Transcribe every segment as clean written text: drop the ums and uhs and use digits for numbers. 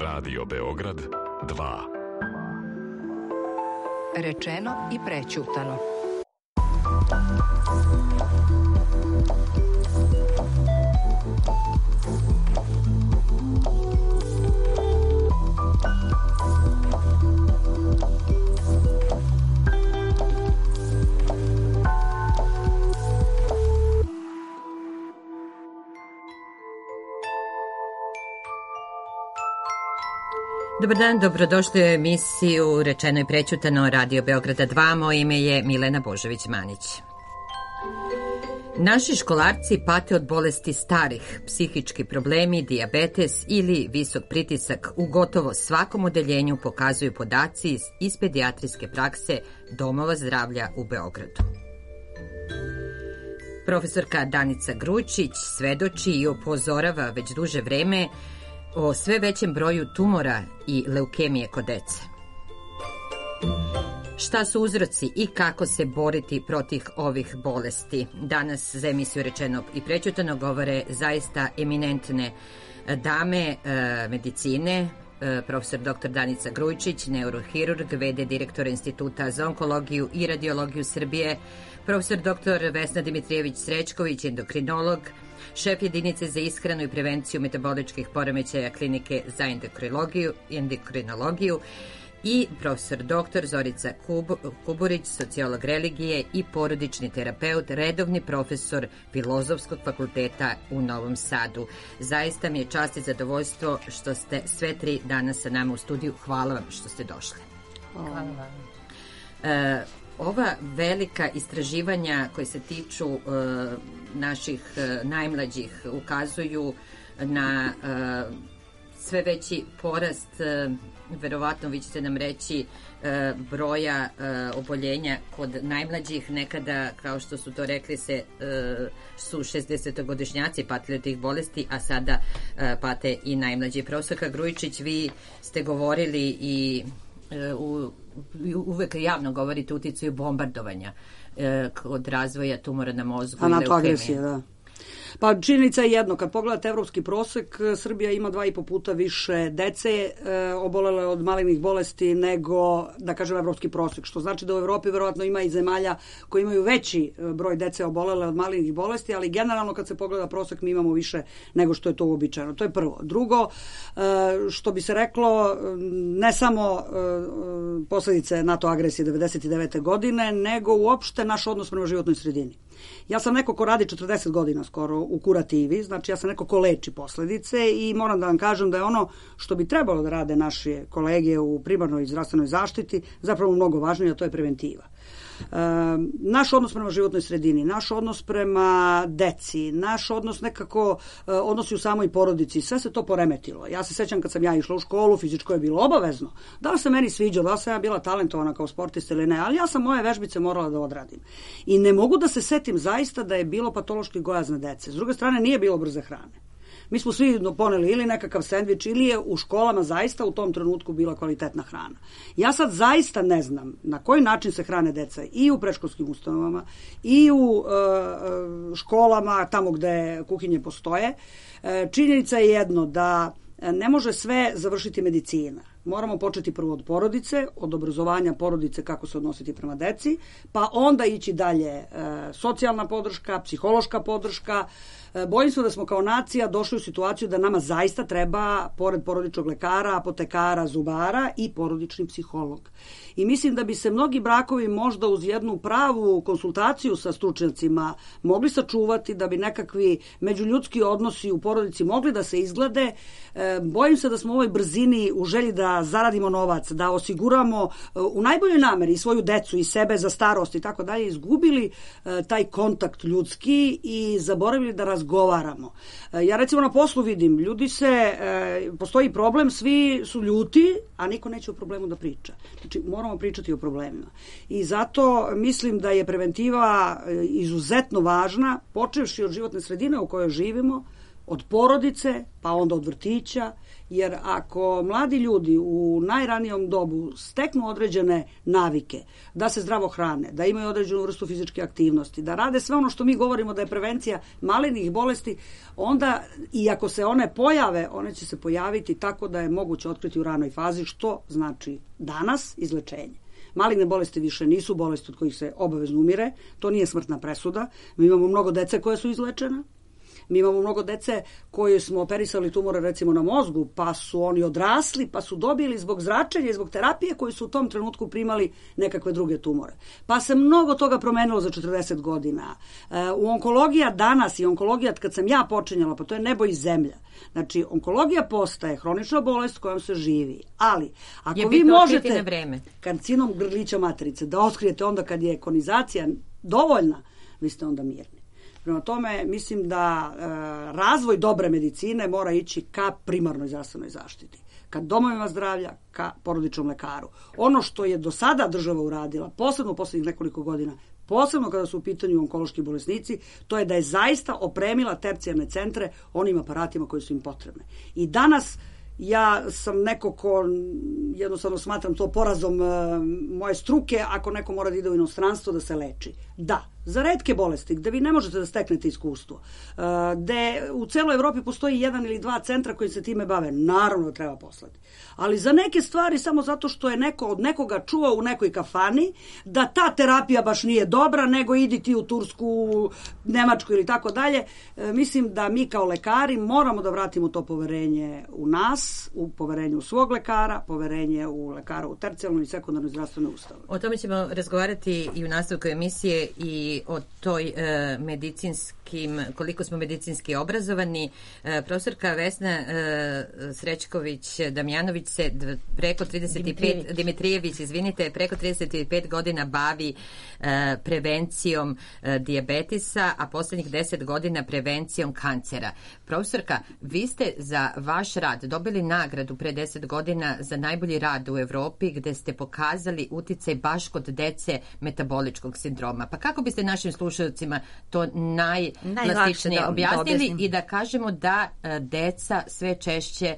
Radio Beograd 2. Rečeno i prećutano. Dobar dan, dobrodošli u emisiju Rečeno i prećutano Radio Beograda 2. Moje ime je Milena Božović-Manić. Naši školarci pate od bolesti starih, psihički problemi, dijabetes ili visok pritisak u gotovo svakom odeljenju pokazuju podaci iz pedijatrijske prakse Domova zdravlja u Beogradu. Profesorka Danica Grujičić svedoči i upozorava već duže vreme o sve većem broju tumora i leukemije kod dece. Šta su uzroci i kako se boriti protiv ovih bolesti? Danas za emisiju Rečeno i prećutano govore zaista eminentne dame medicine, profesor dr. Danica Grujičić, neurohirurg, v.d. direktora Instituta za onkologiju i radiologiju Srbije, profesor dr. Vesna Dimitrijević-Srećković, endokrinolog, šef jedinice za ishranu i prevenciju metaboličkih poremećaja klinike za endokrinologiju i profesor dr. Zorica Kuburić, sociolog religije i porodični terapeut, redovni profesor Filozofskog fakulteta u Novom Sadu. Zaista mi je čast i zadovoljstvo što ste sve tri danas sa nama u studiju. Hvala vam što ste došli. Hvala vam. Ova velika istraživanja koje se tiču naših najmlađih ukazuju na sve veći porast, verovatno vi ćete nam reći, broja oboljenja kod najmlađih. Nekada, kao što su to rekli, su 60-godišnjaci patili od tih bolesti, a sada pate i najmlađi. Profesorka Grujičić, vi ste govorili i uvek javno govorite o uticaju bombardovanja kod razvoja tumora na mozgu i leukemije. Da. Pa činjenica je jedno, kad pogledate evropski prosek, Srbija ima 2,5 puta više dece obolele od malignih bolesti nego, da kažem, evropski prosek, što znači da u Evropi verovatno ima i zemalja koji imaju veći broj dece obolele od malignih bolesti, ali generalno kad se pogleda prosek mi imamo više nego što je to uobičajeno. To je prvo. Drugo, što bi se reklo, ne samo posledice NATO agresije 1999. godine, nego uopšte naš odnos prema životnoj sredini. Ja sam neko ko radi 40 godina skoro u kurativi, znači ja sam neko ko leči posledice i moram da vam kažem da je ono što bi trebalo da rade naše kolege u primarnoj zdravstvenoj zaštiti zapravo mnogo važnije, a to je preventiva. Naš odnos prema životnoj sredini, naš odnos prema deci, naš odnos nekako odnosi u samoj porodici, sve se to poremetilo. Ja se sećam kad sam ja išla u školu, fizičko je bilo obavezno. Da li se meni sviđalo, da li sam ja bila talentovana kao sportista ili ne, ali ja sam moje vežbice morala da odradim. I ne mogu da se setim zaista da je bilo patološki gojazne dece. S druge strane, nije bilo brze hrane. Mi smo svi poneli ili nekakav sendvič ili je u školama zaista u tom trenutku bila kvalitetna hrana. Ja sad zaista ne znam na koji način se hrane deca i u predškolskim ustanovama i u školama, tamo gde kuhinje postoje. Činjenica je jedno da ne može sve završiti medicina. Moramo početi prvo od porodice, od obrazovanja porodice kako se odnositi prema deci, pa onda ići dalje socijalna podrška, psihološka podrška. Bojim se da smo kao nacija došli u situaciju da nama zaista treba, pored porodičnog lekara, apotekara, zubara i porodični psiholog. I mislim da bi se mnogi brakovi možda uz jednu pravu konsultaciju sa stručnjacima mogli sačuvati, da bi nekakvi međuljudski odnosi u porodici mogli da se izglede. Bojim se da smo u ovoj brzini u želji da zaradimo novac, da osiguramo u najboljoj nameri svoju decu i sebe za starost i tako dalje, izgubili taj kontakt ljudski i zaboravili da razgovaramo. Ja recimo na poslu vidim, postoji problem, svi su ljuti, a niko neće o problemu da priča. Znači, moramo pričati o problemima. I zato mislim da je preventiva izuzetno važna, počevši od životne sredine u kojoj živimo, od porodice, pa onda od vrtića, jer ako mladi ljudi u najranijom dobu steknu određene navike, da se zdravo hrane, da imaju određenu vrstu fizičke aktivnosti, da rade sve ono što mi govorimo da je prevencija malignih bolesti, onda i ako se one pojave, one će se pojaviti tako da je moguće otkriti u ranoj fazi, što znači danas izlečenje. Maligne bolesti više nisu bolesti od kojih se obavezno umire, to nije smrtna presuda. Mi imamo mnogo dece koje su izlečena. Mi imamo mnogo dece koje smo operisali tumore recimo na mozgu, pa su oni odrasli, pa su dobili zbog zračenja i zbog terapije koji su u tom trenutku primali nekakve druge tumore. Pa se mnogo toga promenilo za 40 godina. U onkologija danas i onkologija kad sam ja počinjala, pa to je nebo i zemlja. Znači, onkologija postaje hronična bolest kojom se živi. Ali, ako vi možete karcinom grlića materice da otkrijete onda kad je konizacija dovoljna, vi ste onda mirni. Prema tome, mislim da razvoj dobre medicine mora ići ka primarnoj zdravstvenoj zaštiti, ka domovima zdravlja, ka porodičnom lekaru. Ono što je do sada država uradila, posebno u poslednjih nekoliko godina, posebno kada su u pitanju onkološki bolesnici, to je da je zaista opremila tercijarne centre onim aparatima koji su im potrebne. I danas ja sam neko ko jednostavno smatram to porazom moje struke ako neko mora da ide u inostranstvo da se leči. Da, za retke bolesti gde vi ne možete da steknete iskustvo, gde u celoj Evropi postoji 1 ili 2 centra koji se time bave, naravno da treba poslati. Ali za neke stvari samo zato što je neko od nekoga čuo u nekoj kafani da ta terapija baš nije dobra, nego idi ti u Tursku, Nemačku ili tako dalje, mislim da mi kao lekari moramo da vratimo to poverenje u nas, u poverenje u svog lekara, poverenje u lekara u tercijalnoj i sekundarnoj zdravstvenoj ustanovi. O tome ćemo razgovarati i u nastavku emisije i o toj koliko smo medicinski obrazovani. Profesorka Vesna Srećković-Damjanović se preko 35, Dimitrijević, izvinite, preko 35 godina bavi prevencijom dijabetisa, a poslednjih 10 godina prevencijom kancera. Profesorka, vi ste za vaš rad dobili nagradu pre 10 godina za najbolji rad u Evropi, gde ste pokazali uticaj baš kod dece metaboličkog sindroma. Pa kako biste našim slušalcima to najplastičnije objasnili i da kažemo da deca sve češće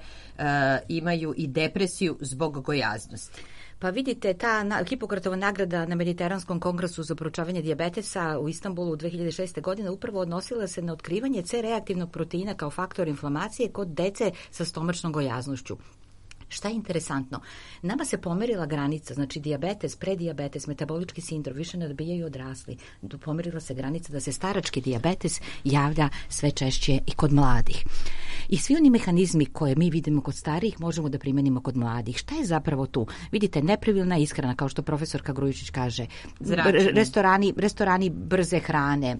imaju i depresiju zbog gojaznosti? Pa vidite, ta Hipokratova nagrada na Mediteranskom kongresu za proučavanje dijabetesa u Istanbulu 2006. godine upravo odnosila se na otkrivanje C-reaktivnog proteina kao faktor inflamacije kod dece sa stomačnom gojaznošću. Šta je interesantno? Nama se pomerila granica, znači dijabetes, predijabetes, metabolički sindrom, više ne dobijaju odrasli. Pomerila se granica da se starački dijabetes javlja sve češće i kod mladih. I svi oni mehanizmi koje mi vidimo kod starijih možemo da primenimo kod mladih. Šta je zapravo tu? Vidite, nepravilna ishrana, kao što profesorka Grujičić kaže, restorani brze hrane,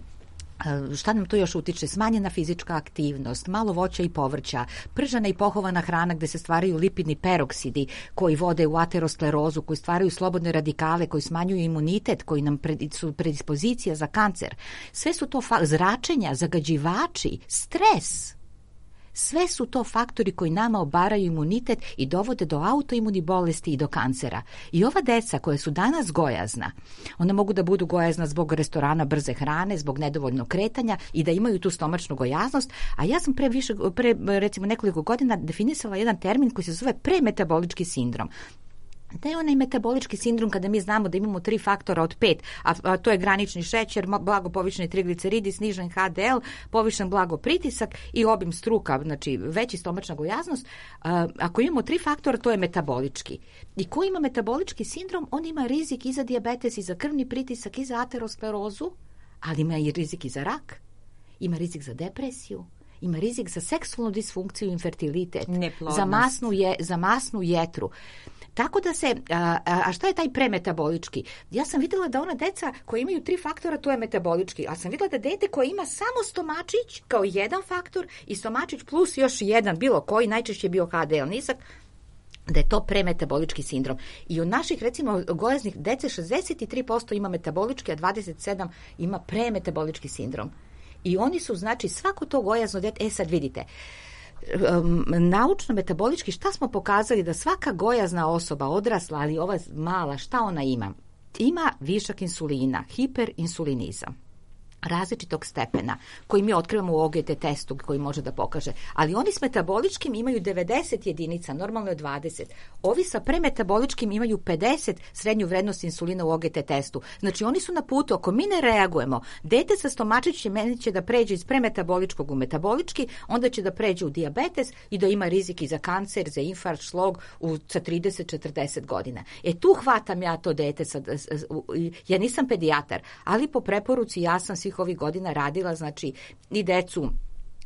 šta nam to još utiče? Smanjena fizička aktivnost, malo voća i povrća, pržena i pohovana hrana gde se stvaraju lipidni peroksidi koji vode u aterosklerozu, koji stvaraju slobodne radikale, koji smanjuju imunitet, koji nam su predispozicija za kancer. Sve su to zračenja, zagađivači, stres. Sve su to faktori koji nama obaraju imunitet i dovode do autoimunih bolesti i do kancera. I ova deca koja su danas gojazna, ona mogu da budu gojazna zbog restorana brze hrane, zbog nedovoljnog kretanja i da imaju tu stomačnu gojaznost, a ja sam pre recimo nekoliko godina definisala jedan termin koji se zove premetabolički sindrom. Da je onaj metabolički sindrom kada mi znamo da imamo 3 faktora od 5, a to je granični šećer, blago povišeni trigliceridi, snižen HDL, povišen blago pritisak i obim struka, znači veći stomačna gojaznost. Ako imamo 3 faktora, to je metabolički. I ko ima metabolički sindrom, on ima rizik i za dijabetes, i za krvni pritisak, i za aterosklerozu, ali ima i rizik i za rak, ima rizik za depresiju, ima rizik za seksualnu disfunkciju i infertilitet, za masnu jetru. Tako da se, a šta je taj premetabolički? Ja sam vidjela da ona deca koja imaju 3 faktora, to je metabolički, a sam vidjela da dete koje ima samo stomačić kao jedan faktor i stomačić plus još jedan, bilo koji, najčešće je bio HDL nisak, da je to premetabolički sindrom. I od naših, recimo, gojaznih dece 63% ima metabolički, a 27% ima premetabolički sindrom. I oni su, znači, svako to gojazno dete, sad vidite, naučno-metabolički, šta smo pokazali da svaka gojazna osoba, odrasla, ali ova mala, šta ona ima? Ima višak insulina, hiperinsulinizam. različitog stepena koji mi otkrivamo u OGT testu koji može da pokaže. Ali oni s metaboličkim imaju 90 jedinica, normalno je 20. Ovi sa premetaboličkim imaju 50 srednju vrednost insulina u OGT testu. Znači oni su na putu, ako mi ne reagujemo, dete sa stomačićem će da pređe iz premetaboličkog u metabolički, onda će da pređe u dijabetes i da ima rizik i za kancer, za infarkt, šlog sa 30-40 godina. Tu hvatam ja to dete, ja nisam pedijatar, ali po preporuci ja sam svih ovih godina radila, znači i decu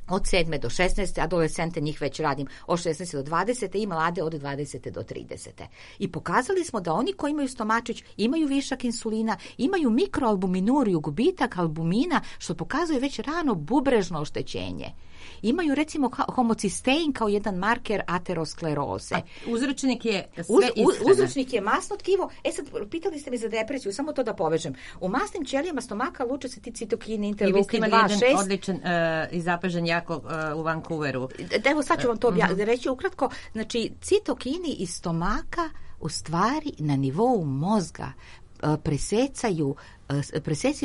od 7. do 16. adolescente, njih već radim od 16. do 20. i mlade od 20. do 30. I pokazali smo da oni koji imaju stomačić imaju višak insulina, imaju mikroalbuminuriju, gubitak albumina, što pokazuje već rano bubrežno oštećenje. Imaju recimo homocistein kao jedan marker ateroskleroze. Uzročnik je sve ishrana. Uzročnik je masno tkivo. Sad, pitali ste mi za depresiju, samo to da povežem. U masnim ćelijama stomaka luče se ti citokini, interleukin 2, 6. I vi ste imali jedan odličan i zapažen jako u Vancouveru. Evo sad ću vam to reći ukratko. Znači, citokini iz stomaka u stvari na nivou mozga presecaju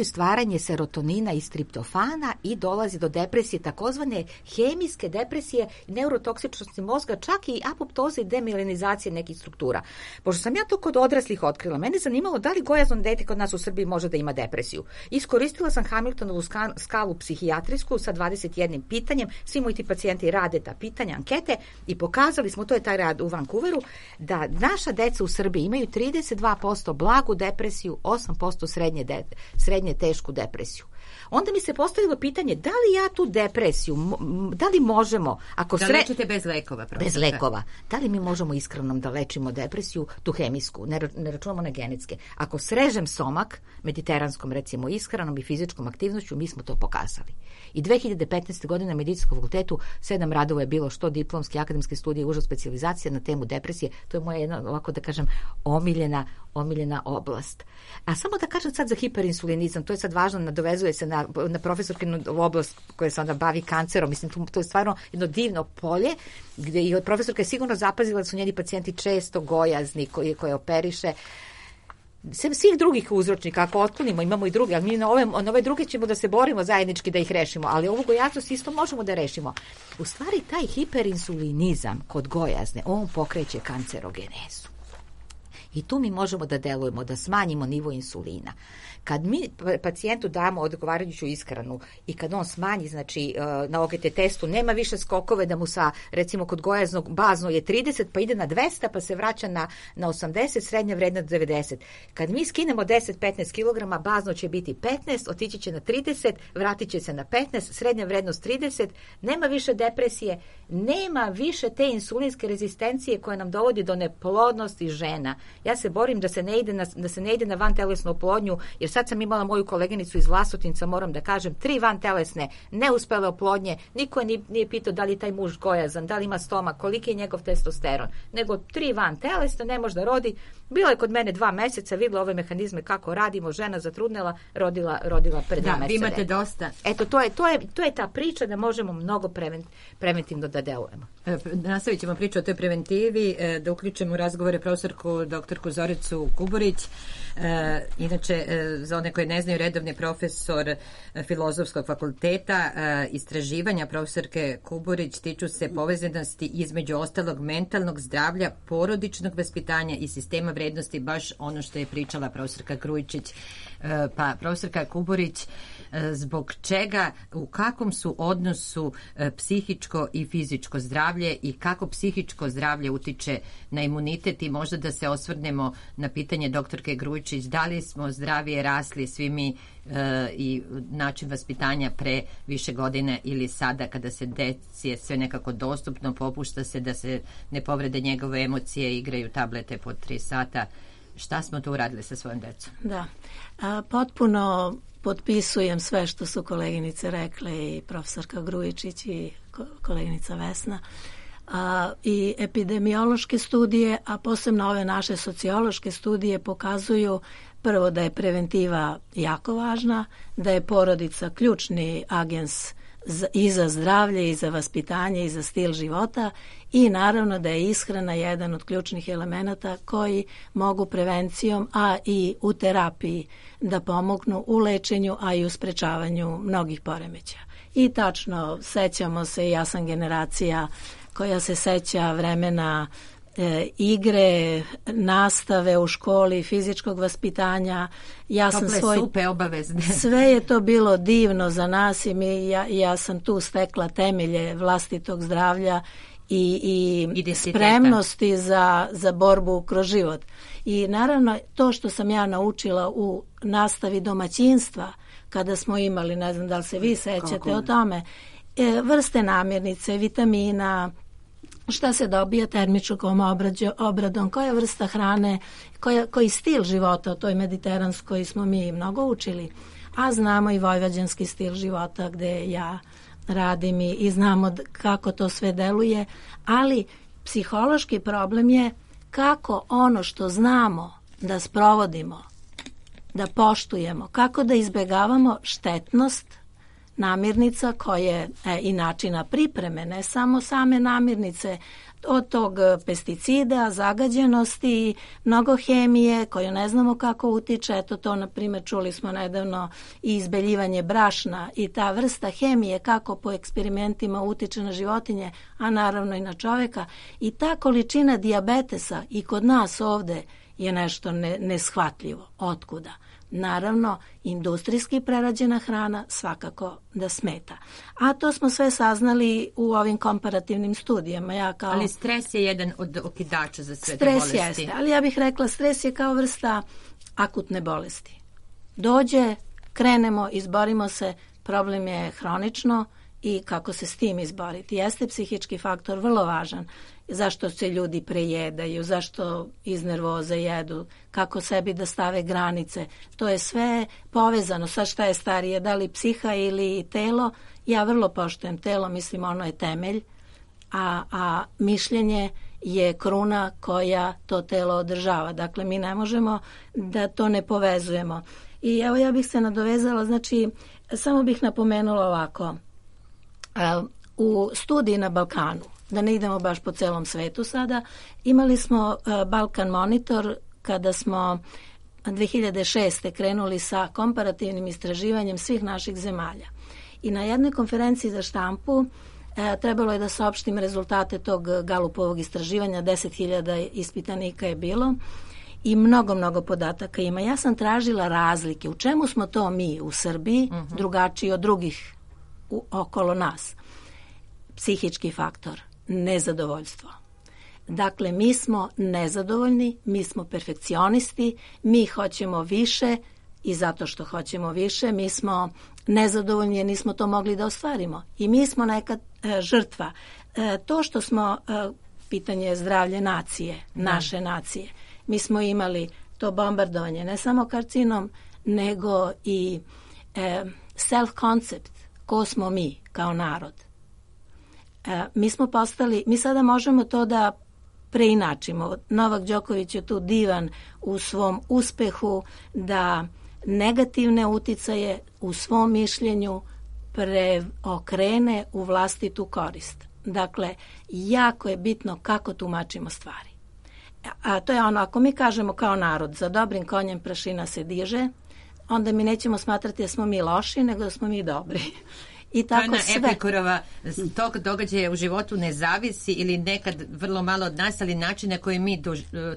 stvaranje serotonina i striptofana i dolazi do depresije, takozvane hemijske depresije, neurotoksičnosti mozga, čak i apoptoze i demilenizacije nekih struktura. Pošto sam ja to kod odraslih otkrila, mene zanimalo da li gojazno dete kod nas u Srbiji može da ima depresiju. Iskoristila sam Hamiltonovu skalu psihijatrijsku sa 21 pitanjem, svi moji ti pacijenti rade ta pitanja, ankete i pokazali smo, to je taj rad u Vancouveru, da naša deca u Srbiji imaju 32% blagu depresiju, 8% srednje tešku depresiju. Onda mi se postavilo pitanje, da li ja tu depresiju, da li možemo, ako da lečite bez lekova, bez lekova, da li mi možemo iskreno da lečimo depresiju, tu hemijsku, ne računamo na genetske. Ako srežem stomak, mediteranskom recimo ishranom i fizičkom aktivnošću, mi smo to pokazali. I 2015. godine na medicinskom fakultetu 7 radova je bilo što diplomske, akademske studije, uža specijalizacija na temu depresije. To je moja jedna, ovako da kažem, omiljena oblast. A samo da kažem sad za hiperinsulinizam, to je sad važno, nadovezuje se na profesorkinu oblast koja se onda bavi kancerom. Mislim, to je stvarno jedno divno polje gdje i profesorka je sigurno zapazila da su njeni pacijenti često gojazni koje operiše. Svih drugih uzročnika, ako otklonimo, imamo i druge, ali mi na ove druge ćemo da se borimo zajednički da ih rešimo, ali ovu gojaznost isto možemo da rešimo. U stvari, taj hiperinsulinizam kod gojazne, on pokreće kancerogenezu. I tu mi možemo da delujemo, da smanjimo nivo insulina. Kad mi pacijentu damo odgovarajuću ishranu i kad on smanji, znači na OGT testu, nema više skokove da mu sa, recimo kod gojaznog bazno je 30, pa ide na 200, pa se vraća na 80, srednja vrednost 90. Kad mi skinemo 10-15 kg, bazno će biti 15, otići će na 30, vratit će se na 15, srednja vrednost 30, nema više depresije, nema više te insulinske rezistencije koja nam dovodi do neplodnosti žena. Ja se borim da se ne ide na vantelesnu oplodnju, jer sad sam imala moju koleginicu iz Vlasotinca, moram da kažem, 3 vantelesne neuspele oplodnje, niko je nije pitao da li taj muž gojazan, da li ima stomak, koliki je njegov testosteron, nego 3 vantelesne, ne može da rodi. Bila je kod mene 2 meseca, videla ove mehanizme kako radimo, žena zatrudnela, rodila pred 2 meseca. Da, vi imate dosta. Eto, to je ta priča da možemo mnogo preventivno da delujemo. Nastavit ćemo priču o toj preventivi, da uključimo u razgovore profesorku doktorku Zoricu Kuburić. Inače, za one koje ne znaju, redovni profesor Filozofskog fakulteta. Istraživanja profesorke Kuburić tiču se povezanosti između ostalog mentalnog zdravlja, porodičnog vaspitanja i sistema vrednosti, baš ono što je pričala profesorka Grujičić. Pa profesorka Kuburić, zbog čega, u kakvom su odnosu psihičko i fizičko zdravlje i kako psihičko zdravlje utiče na imunitet, i možda da se osvrnemo na pitanje doktorke Grujičić, da li smo zdravije rasli svi mi i način vaspitanja pre više godine ili sada kada se deci je sve nekako dostupno, popušta se da se ne povrede njegove emocije, igraju tablete po 3 sata. Šta smo tu uradili sa svojom decom? Da, potpuno potpisujem sve što su koleginice rekle, i profesorka Grujičić i koleginica Vesna. I epidemiološke studije, a posebno ove naše sociološke studije pokazuju prvo da je preventiva jako važna, da je porodica ključni agens i za zdravlje, i za vaspitanje, i za stil života, i naravno da je ishrana jedan od ključnih elemenata koji mogu prevencijom, a i u terapiji da pomognu u lečenju, a i u sprečavanju mnogih poremećaja. I tačno, sećamo se, ja sam generacija koja se seća vremena igre, nastave u školi, fizičkog vaspitanja. Tople supe obavezne. Sve je to bilo divno za nas i ja sam tu stekla temelje vlastitog zdravlja i spremnosti za borbu kroz život. I naravno to što sam ja naučila u nastavi domaćinstva, kada smo imali, ne znam da li se vi sećate o tome, vrste namirnice, vitamina, šta se dobija termičkom obradom, koja vrsta hrane, koji stil života, o toj mediteranskoj smo mi mnogo učili, a znamo i vojvođanski stil života gde ja radim i znamo kako to sve deluje, ali psihološki problem je kako ono što znamo da sprovodimo, da poštujemo, kako da izbegavamo štetnost namirnica koje i načina pripreme, ne samo same namirnice, od tog pesticida, zagađenosti, mnogo hemije koju ne znamo kako utiče. Eto to, na primjer, čuli smo nedavno i izbeljivanje brašna i ta vrsta hemije kako po eksperimentima utiče na životinje, a naravno i na čoveka. I ta količina dijabetesa i kod nas ovde je nešto neshvatljivo. Otkuda? Naravno, industrijski prerađena hrana svakako da smeta. A to smo sve saznali u ovim komparativnim studijama. Ali stres je jedan od okidača za sve te bolesti. Stres jeste, ali ja bih rekla stres je kao vrsta akutne bolesti. Dođe, krenemo, izborimo se, problem je hronično i kako se s tim izboriti. Jeste psihički faktor vrlo važan. Zašto se ljudi prejedaju, zašto iz nervoze jedu, kako sebi da stave granice. To je sve povezano. Sad šta je starije, da li psiha ili telo? Ja vrlo poštujem telo, mislim ono je temelj, a mišljenje je kruna koja to telo održava. Dakle, mi ne možemo da to ne povezujemo. I evo ja bih se nadovezala, znači, samo bih napomenula ovako. U studiji na Balkanu, da ne idemo baš po celom svetu sada, imali smo Balkan Monitor kada smo 2006. krenuli sa komparativnim istraživanjem svih naših zemalja. I na jednoj konferenciji za štampu trebalo je da saopštim rezultate tog Galupovog istraživanja, 10.000 ispitanika je bilo i mnogo podataka ima. Ja sam tražila razlike. U čemu smo to mi u Srbiji drugačiji od drugih okolo nas? Psihički faktor, nezadovoljstvo. Dakle, mi smo nezadovoljni, mi smo perfekcionisti, mi hoćemo više i zato što hoćemo više, mi smo nezadovoljni jer nismo to mogli da ostvarimo. I mi smo nekad žrtva. To što smo, pitanje je zdravlje nacije, naše nacije. Mi smo imali to bombardovanje, ne samo karcinom, nego i self-concept, ko smo mi kao narod. Mi smo postali, mi sada možemo to da preinačimo. Novak Đoković je tu divan u svom uspehu da negativne uticaje u svom mišljenju preokrene u vlastitu korist. Dakle, jako je bitno kako tumačimo stvari. A to je ono, ako mi kažemo kao narod, za dobrim konjem prašina se diže, onda mi nećemo smatrati da smo mi loši, nego da smo mi dobri. I tako sve. Epikurova tog događaja u životu ne zavisi ili nekad vrlo malo od nas, ali način na koji mi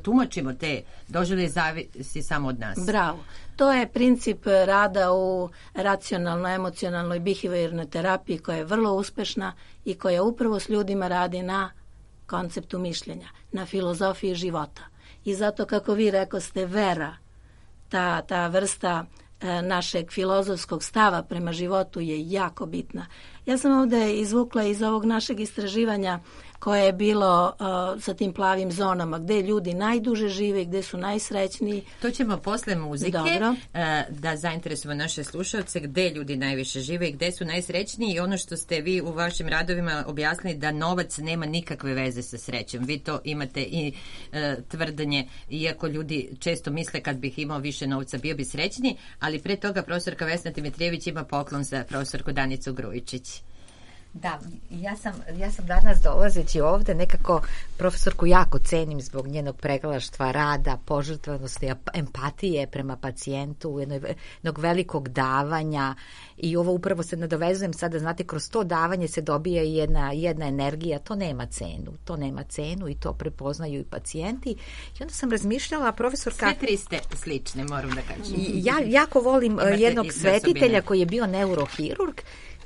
tumačimo te doživlje zavisi samo od nas. Bravo. To je princip rada u racionalno-emocionalnoj behaviornoj terapiji koja je vrlo uspešna i koja upravo s ljudima radi na konceptu mišljenja, na filozofiji života. I zato, kako vi rekoste, vera, ta vrsta našeg filozofskog stava prema životu je jako bitna. Ja sam ovde izvukla iz ovog našeg istraživanja koje je bilo sa tim plavim zonama, gde ljudi najduže žive, gde su najsrećniji. To ćemo posle muzike da zainteresujemo naše slušalce gde ljudi najviše žive i gde su najsrećniji i ono što ste vi u vašim radovima objasnili da novac nema nikakve veze sa srećom. Vi to imate i tvrdanje, iako ljudi često misle kad bih imao više novca bio bi srećniji, ali pre toga profesorka Vesna Dimitrijević ima poklon za profesorku Danicu Grujičić. Da, ja sam danas dolazeći ovde nekako profesorku jako cenim zbog njenog pregalaštva rada, požrtvanosti, empatije prema pacijentu, jednog velikog davanja i ovo upravo se nadovezujem sada, znate, kroz to davanje se dobija jedna energija, to nema cenu i to prepoznaju i pacijenti. I onda sam razmišljala, profesorka... Sve tri ste slične, moram da kažem. Ja jako volim jednog svetitelja koji je bio neurohirurg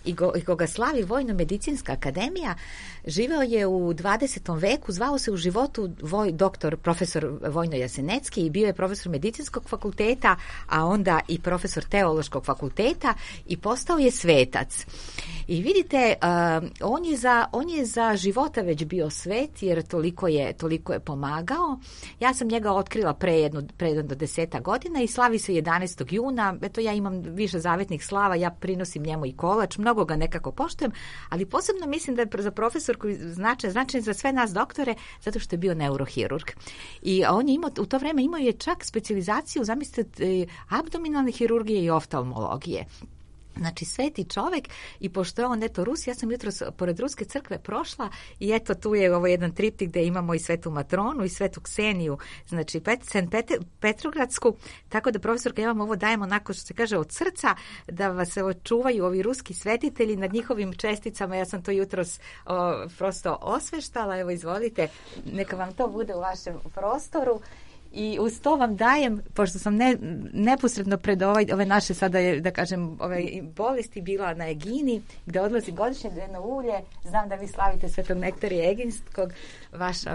i koga slavi Vojno-medicinska akademija. Živeo je u 20. veku, zvao se u životu profesor Vojno Jasenecki i bio je profesor medicinskog fakulteta, a onda i profesor teološkog fakulteta i postao je svetac. I vidite, on je za života već bio svet, jer toliko je pomagao. Ja sam njega otkrila pre jedno do 10 godina i slavi se 11. juna. Eto, ja imam više zavetnih slava, ja prinosim njemu i kolač, mnogo ga nekako poštujem, ali posebno mislim da je za profesorku značajan za sve nas doktore, zato što je bio neurohirurg. I on je u to vreme imao je čak specijalizaciju, zamislite, abdominalne hirurgije i oftalmologije. Znači, sveti čovek, i pošto je on Rus, ja sam jutros pored Ruske crkve prošla i eto tu je ovo jedan triptik gde imamo i svetu Matronu i svetu Kseniju, znači Petrogradsku, tako da profesorka, ja vam ovo dajem onako što se kaže od srca, da vas čuvaju ovi ruski svetitelji nad njihovim česticama. Ja sam to jutros prosto osveštala, evo izvolite, neka vam to bude u vašem prostoru. I uz to vam dajem, pošto sam neposredno pred ove naše sada, da kažem, ove bolesti bila na Egini, gde odlazi godišnje dnevno ulje. Znam da vi slavite Svetog Nektarija Eginskog,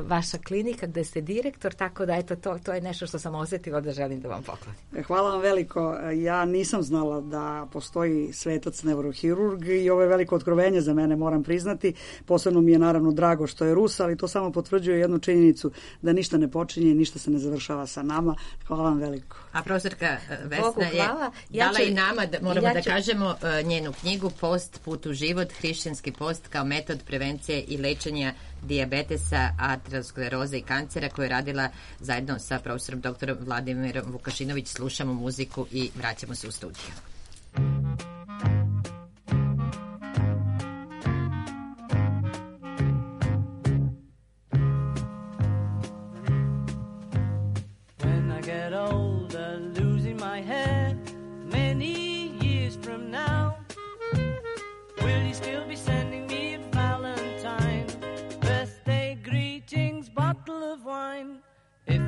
vaša klinika gde ste direktor, tako da eto, to je nešto što sam osjetila da želim da vam poklonim. Hvala vam veliko. Ja nisam znala da postoji svetac neurohirurg i ovo je veliko otkrovenje za mene, moram priznati. Posebno mi je naravno drago što je Rus, ali to samo potvrđuje jednu činjenicu, da ništa ne počinje i ništa se ne završava sa nama. Hvala vam veliko. A profesorka Vesna je dala i nama, moramo da kažemo, njenu knjigu Post, put u život, hrišćanski post kao metod prevencije i lečenja dijabetesa, ateroskleroze i kancera, koju je radila zajedno sa profesorom doktorom Vladimirom Vukašinović. Slušamo muziku i vraćamo se u studiju.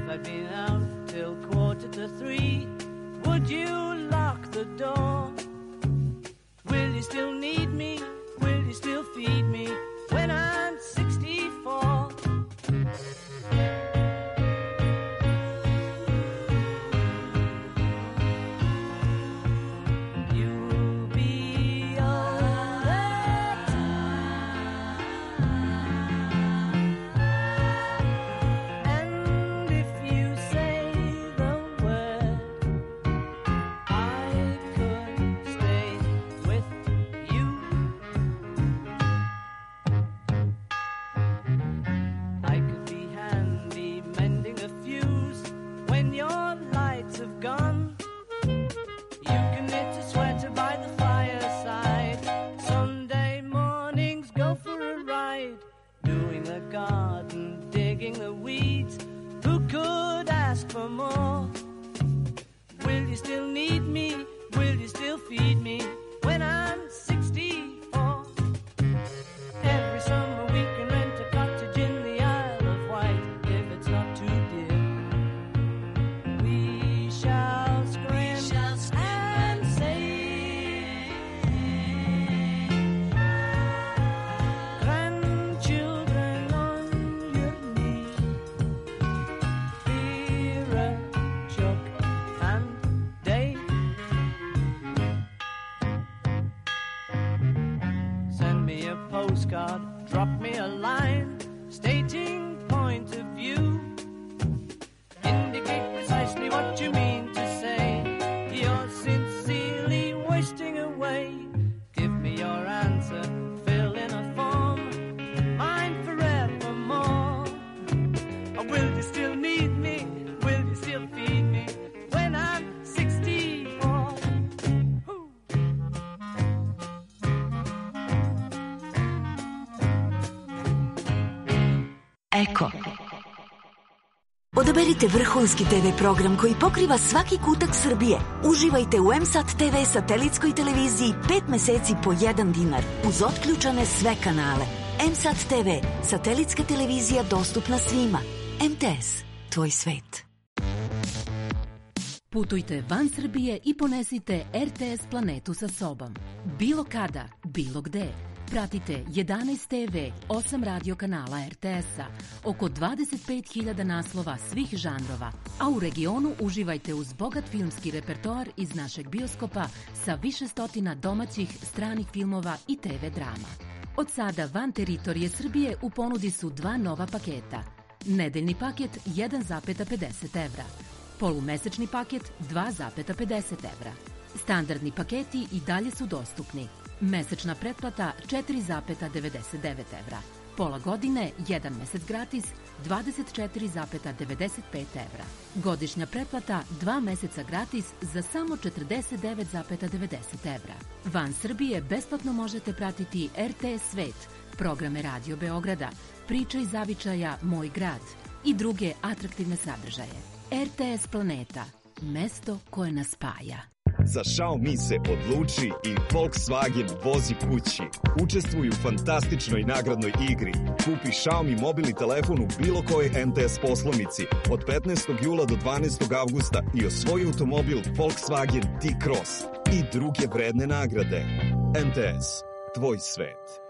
I've been out till 2:45. Would you lock the door? Will you still need me? Will you still feed me when I'm 64? You'll be all the time. And if you say the word, I could stay with you. I could be handy mending a fuse when your lights have gone. You can knit a sweater by the fireside. Sunday mornings go for a ride, doing the garden, digging the weeds. Who could ask for more? Will you still need me? Will you still feed me when I'm 64? Every summer we can rent a cottage in the Isle of Wight if it's not too dear. We shall scream and sing. Grandchildren on your knee, Vera, Chuck and Dave. Send me a postcard, drop me a line, stating point of view. Indicate precisely what you mean to say. You're sincerely wasting away. Give me your answer, fill in a form, mine forevermore. Or will you still need me? Will you still feed me when I'm 64? Woo. Eko. Odaberite vrhunski TV program koji pokriva svaki kutak Srbije. Uživajte u MSAT TV satelitskoj televiziji 5 meseci po 1 dinar uz otključane sve kanale. MSAT TV, satelitska televizija dostupna svima. MTS, tvoj svet. Putujte van Srbije i ponesite RTS planetu sa sobom. Bilo kada, bilo gde. Pratite 11 TV, 8 radio kanala RTS-a, oko 25.000 naslova svih žanrova, a u regionu uživajte uz bogat filmski repertoar iz našeg bioskopa sa više stotina domaćih, stranih filmova i TV drama. Od sada van teritorije Srbije u ponudi su 2 nova paketa. Nedeljni paket 1,50 evra. Polumesečni paket 2,50 evra. Standardni paketi i dalje su dostupni. Mesečna pretplata 4,99 evra. Pola godine, 1 mesec gratis, 24,95 evra. Godišnja pretplata 2 meseca gratis za samo 49,90 evra. Van Srbije besplatno možete pratiti RTS Svet, programe Radio Beograda, Priče iz zavičaja Moj grad i druge atraktivne sadržaje. RTS Planeta, mesto koje nas spaja. Za Xiaomi se odluči i Volkswagen vozi kući. Učestvuj u fantastičnoj nagradnoj igri. Kupi Xiaomi mobilni telefon u bilo kojoj MTS poslovnici od 15. jula do 12. avgusta i osvoji automobil Volkswagen T-Cross i druge vredne nagrade. MTS, tvoj svet.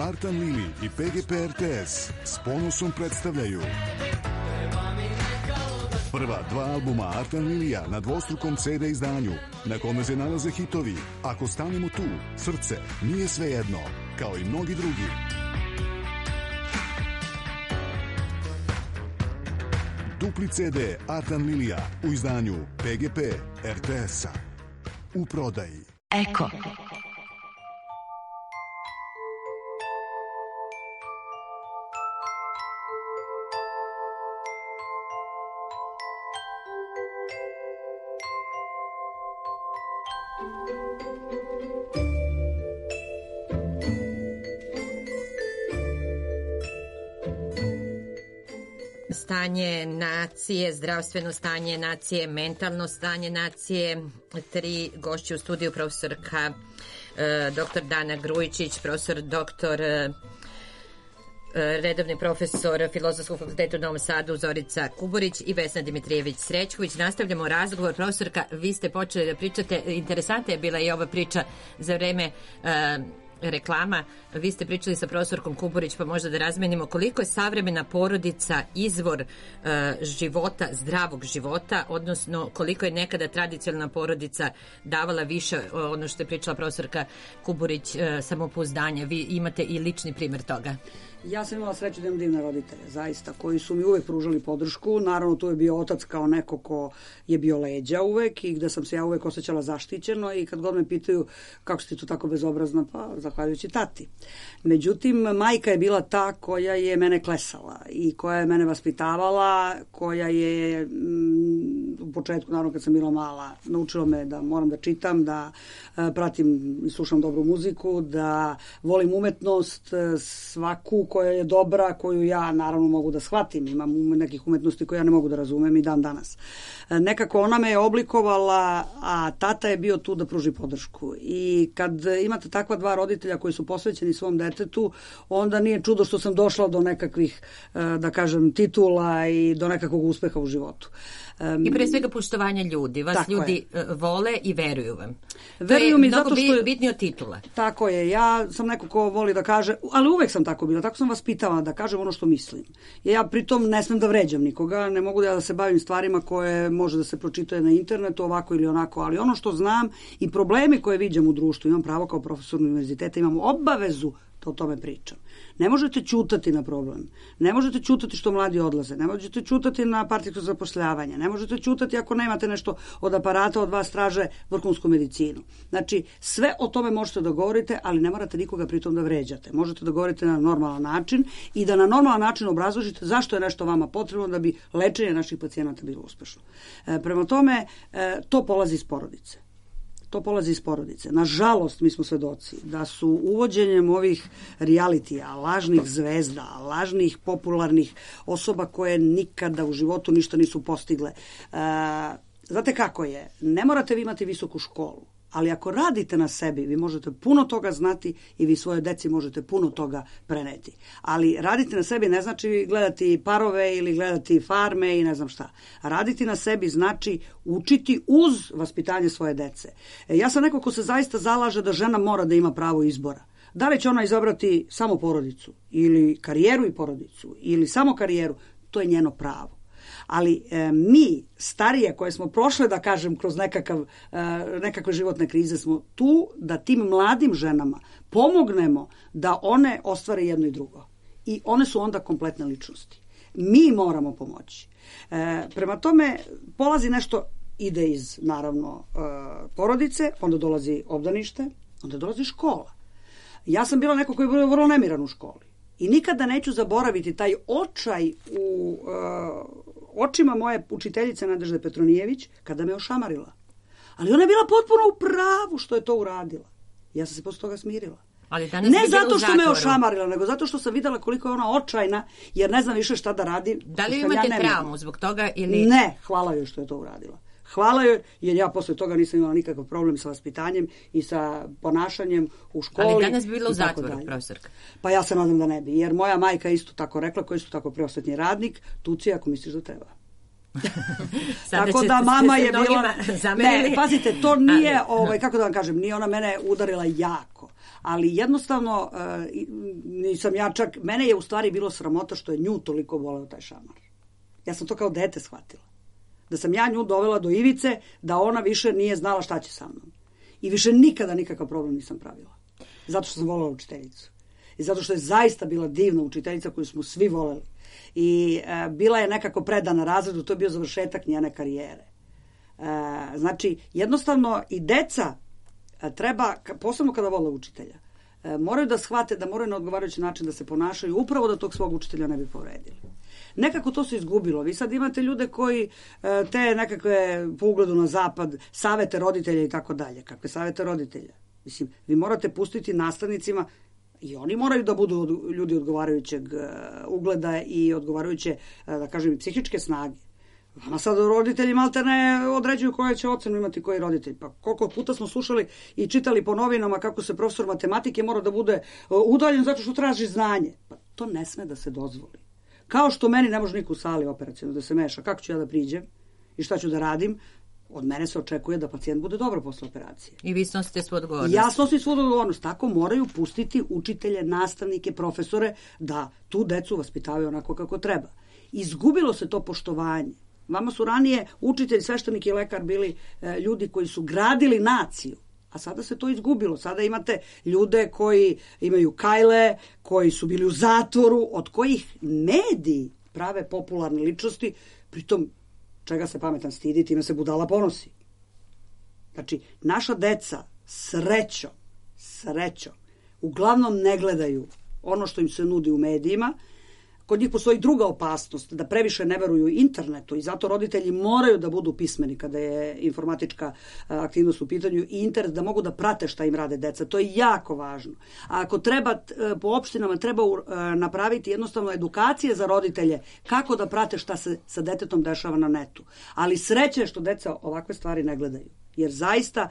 Artan Lili i PGP RTS s ponosom predstavljaju prva 2 albuma Artan Lilija na dvostrukom CD izdanju, na kome se nalaze hitovi Ako stanemo tu, Srce, Nije svejedno, kao i mnogi drugi. Dupli CD Artan Lilija u izdanju PGP RTS-a. U prodaji. Eko. Stanje nacije, zdravstveno stanje nacije, mentalno stanje nacije. 3 gošće u studiju, profesorka dr. Dana Grujičić, profesor dr. Redovni profesor Filozofskog fakulteta u Novom Sadu Zorica Kuburić i Vesna Dimitrijević-Srećković. Nastavljamo razgovor. Profesorka, vi ste počeli da pričate, interesantna je bila i ova priča za vreme reklama. Vi ste pričali sa profesorkom Kuburić, pa možda da razmenimo koliko je savremena porodica izvor života, zdravog života, odnosno koliko je nekada tradicionalna porodica davala više, ono što je pričala profesorka Kuburić, samopouzdanja. Vi imate i lični primjer toga. Ja sam imala sreću da imam divne roditelje, zaista, koji su mi uvek pružali podršku. Naravno, tu je bio otac kao neko ko je bio leđa uvek i gde sam se ja uvek osjećala zaštićeno i kad god me pitaju kako si ti tu tako bezobrazna, pa zahvaljujući tati. Međutim, majka je bila ta koja je mene klesala i koja je mene vaspitavala, koja je u početku, naravno kad sam bila mala, naučila me da moram da čitam, da pratim i slušam dobru muziku, da volim umetnost, svaku koja je dobra, koju ja naravno mogu da shvatim. Imam nekih umetnosti koje ja ne mogu da razumem i dan danas. Nekako ona me je oblikovala, a tata je bio tu da pruži podršku. I kad imate takva 2 roditelja koji su posvećeni svom detetu, onda nije čudo što sam došla do nekakvih, da kažem, titula i do nekakvog uspeha u životu. I pre svega poštovanja ljudi. Vas ljudi vole i veruju vam. Veruju mi zato što je bitnije od titula. Tako je. Ja sam neko ko voli da kaže, ali uvek sam tako bila, tako sam vaspitala da kažem ono što mislim. Ja pritom ne smem da vređam nikoga, ne mogu da se bavim stvarima koje može da se pročitaju na internetu ovako ili onako, ali ono što znam i problemi koje viđam u društvu, imam pravo kao profesor univerziteta, imam obavezu da o tome pričam. Ne možete ćutati na problem. Ne možete ćutati što mladi odlaze. Ne možete ćutati na partijsko zapošljavanje. Ne možete ćutati ako nemate nešto od aparata, od vas traže vrhunsku medicinu. Znači, sve o tome možete da govorite, ali ne morate nikoga pritom da vređate. Možete da govorite na normalan način i da na normalan način obrazložite zašto je nešto vama potrebno da bi lečenje naših pacijenata bilo uspešno. Prema tome, to polazi iz porodice. to polazi iz porodice. Nažalost, mi smo svedoci da su uvođenjem ovih realitija, lažnih zvezda, lažnih popularnih osoba koje nikada u životu ništa nisu postigle. Znate kako je? Ne morate vi imati visoku školu, ali ako radite na sebi, vi možete puno toga znati i vi svoje deci možete puno toga preneti. Ali raditi na sebi ne znači gledati parove ili gledati farme i ne znam šta. Raditi na sebi znači učiti uz vaspitanje svoje dece. Ja sam neko ko se zaista zalaže da žena mora da ima pravo izbora. Da li će ona izabrati samo porodicu ili karijeru i porodicu ili samo karijeru, to je njeno pravo. Ali mi, starije koje smo prošle, da kažem, kroz nekakve životne krize, smo tu da tim mladim ženama pomognemo da one ostvare jedno i drugo. I one su onda kompletne ličnosti. Mi moramo pomoći. Prema tome, polazi nešto, ide iz, naravno, porodice, onda dolazi obdanište, onda dolazi škola. Ja sam bila neko koji je bio vrlo nemiran u školi. I nikada neću zaboraviti taj očaj u očima moje učiteljice Nadežde Petronijević kada me ošamarila. Ali ona je bila potpuno u pravu što je to uradila. Ja sam se posle toga smirila. Ali ne zato što me ošamarila, nego zato što sam videla koliko je ona očajna, jer ne znam više šta da radi. Da li imate traumu zbog toga ili... Ne, hvala joj što je to uradila. Hvala joj, jer ja posle toga nisam imala nikakav problem sa vaspitanjem i sa ponašanjem u školi. Ali danas bi bila u zatvoru, profesorka. Pa ja se nadam da ne bi, jer moja majka isto tako rekla, koji su tako prosvetni radnik, tuci ako misliš da treba. Tako da mama je bila... Ne, pazite, to nije, kako da vam kažem, nije ona mene udarila jako. Ali jednostavno, nisam ja čak, mene je u stvari bilo sramota što je nju toliko voleo taj šamar. Ja sam to kao dete shvatila. Da sam ja nju dovela do ivice, da ona više nije znala šta će sa mnom. I više nikada nikakav problem nisam pravila. Zato što sam volela učiteljicu. I zato što je zaista bila divna učiteljica koju smo svi voleli. I bila je nekako predana razredu, to je bio završetak njene karijere. Znači, jednostavno i deca treba, posebno kada vole učitelja, moraju da shvate da moraju na odgovarajući način da se ponašaju upravo da tog svog učitelja ne bi povredili. Nekako to se izgubilo. Vi sad imate ljude koji te nekakve po ugledu na zapad savete roditelja i tako dalje. Kakve savete roditelja? Mislim, vi morate pustiti nastavnicima i oni moraju da budu ljudi odgovarajućeg ugleda i odgovarajuće, da kažem, psihičke snage. Vama sad roditelji malte ne određuju koje će ocenu imati koji roditelj. Pa koliko puta smo slušali i čitali po novinama kako se profesor matematike mora da bude udaljen zato što traži znanje. Pa to ne sme da se dozvoli. Kao što meni ne može niko u sali operacijno da se meša. Kako ću ja da priđem i šta ću da radim? Od mene se očekuje da pacijent bude dobro posle operacije. I vi snosite svoju odgovornost. Ja snosim svoju odgovornost. Tako moraju pustiti učitelje, nastavnike, profesore da tu decu vaspitavaju onako kako treba. Izgubilo se to poštovanje. Vama su ranije učitelj, sveštenik i lekar bili ljudi koji su gradili naciju. A sada se to izgubilo. Sada imate ljude koji imaju kajle, koji su bili u zatvoru, od kojih mediji prave popularne ličnosti, pritom čega se pametan stidi, time se budala ponosi. Znači, naša deca srećom, uglavnom ne gledaju ono što im se nudi u medijima. Kod njih postoji druga opasnost, da previše ne veruju internetu i zato roditelji moraju da budu pismeni kada je informatička aktivnost u pitanju i internet, da mogu da prate šta im rade deca. To je jako važno. A ako treba, po opštinama treba napraviti jednostavno edukacije za roditelje kako da prate šta se sa detetom dešava na netu. Ali sreće je što deca ovakve stvari ne gledaju. Jer zaista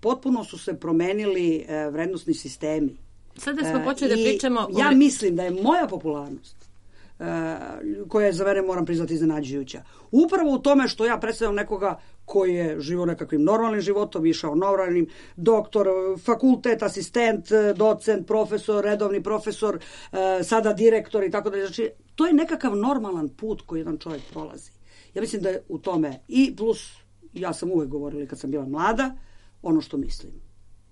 potpuno su se promenili vrednosni sistemi. Sada smo počeli da pričamo... Ja mislim da je moja popularnost, koja je za mene, moram priznati, iznenađujuća, upravo u tome što ja predstavljam nekoga koji je živio nekakvim normalnim životom, išao normalnim, doktor, fakultet, asistent, docent, profesor, redovni profesor, sada direktor i tako dalje. Znači, to je nekakav normalan put koji jedan čovjek prolazi. Ja mislim da je u tome i plus, ja sam uvek govorila kad sam bila mlada, ono što mislim.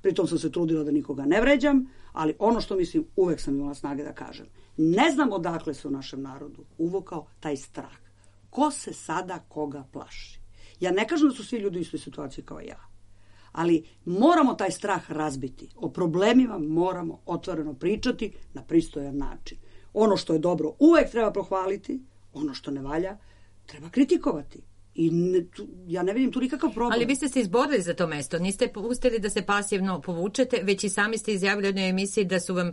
Pritom sam se trudila da nikoga ne vređam, ali ono što mislim uvek sam imala snage da kažem. Ne znam odakle se u našem narodu uvukao taj strah. Ko se sada koga plaši? Ja ne kažem da su svi ljudi u istoj situaciji kao ja, ali moramo taj strah razbiti. O problemima moramo otvoreno pričati na pristojan način. Ono što je dobro uvek treba pohvaliti, ono što ne valja treba kritikovati. I ja ne vidim tu nikakav problem. Ali vi ste se izborili za to mesto, niste pustili da se pasivno povučete, već i sami ste izjavili u jednoj emisiji da su vam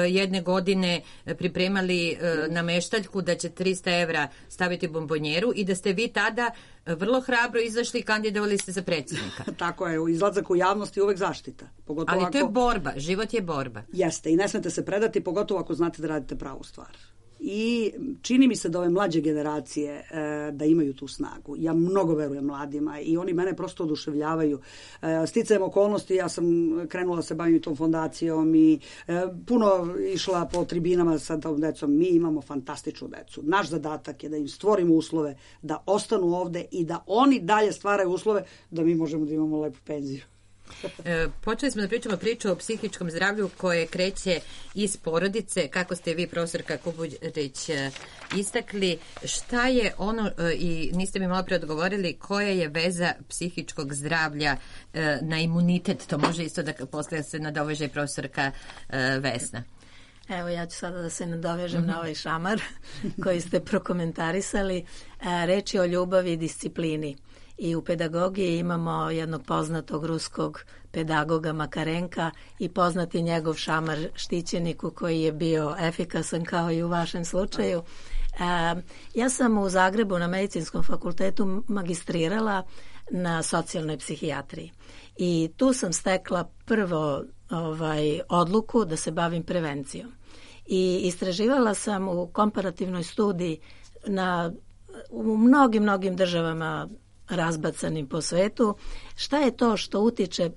jedne godine pripremali na meštaljku da će 300 evra staviti u bombonjeru i da ste vi tada vrlo hrabro izašli i kandidovali ste za predsjednika. Tako je, izlazak u javnosti je uvek zaštita. Pogotovo ali to je borba, život je borba. Jeste, i ne smete se predati, pogotovo ako znate da radite pravu stvar. I čini mi se da ove mlađe generacije da imaju tu snagu. Ja mnogo verujem mladima i oni mene prosto oduševljavaju. Sticajem okolnosti, ja sam krenula da se bavim tom fondacijom i puno išla po tribinama sa tom decom. Mi imamo fantastičnu decu. Naš zadatak je da im stvorimo uslove da ostanu ovde i da oni dalje stvaraju uslove da mi možemo da imamo lepu penziju. Počeli smo da pričamo priču o psihičkom zdravlju koje kreće iz porodice, kako ste vi, profesorka Kubulić, istakli. Šta je ono, i niste mi malo pre odgovorili, koja je veza psihičkog zdravlja na imunitet? To može isto da posle se nadoveže profesorka Vesna. Evo, ja ću sada da se nadovežem na ovaj šamar koji ste prokomentarisali. Reč je o ljubavi i disciplini. I u pedagogiji imamo jednog poznatog ruskog pedagoga Makarenka i poznati njegov šamar štićeniku koji je bio efikasan kao i u vašem slučaju. Ja sam u Zagrebu na Medicinskom fakultetu magistrirala na socijalnoj psihijatriji i tu sam stekla prvo odluku da se bavim prevencijom. I istraživala sam u komparativnoj studiji u mnogim državama razbacanim po svetu, šta je to što utiče